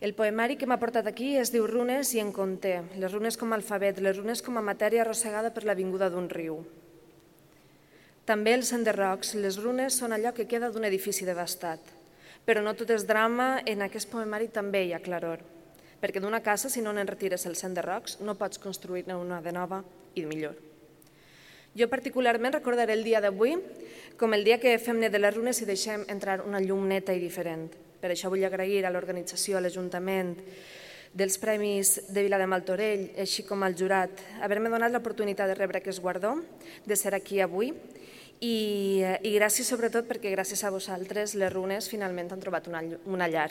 El poemari que m'ha portat aquí es diu Runes i en conté, les runes com a alfabet, les runes com a matèria arrossegada per la vinguda d'un riu. També els enderrocs, les runes són allò que queda d'un edifici devastat. Però no tot és drama, en aquest poemari també hi ha claror. Perquè d'una casa, si no n'en retires els enderrocs, no pots construir-ne una de nova i millor. Jo particularment recordaré el dia d'avui com el dia que fem net de les runes i deixem entrar una llum neta i diferent. Per això vull agrair a l'organització, a l'Ajuntament, dels Premis de Vila de Martorell, així com al jurat, haver-me donat l'oportunitat de rebre aquest guardó, de ser aquí avui, i gràcies sobretot perquè gràcies a vosaltres les runes finalment han trobat una llar.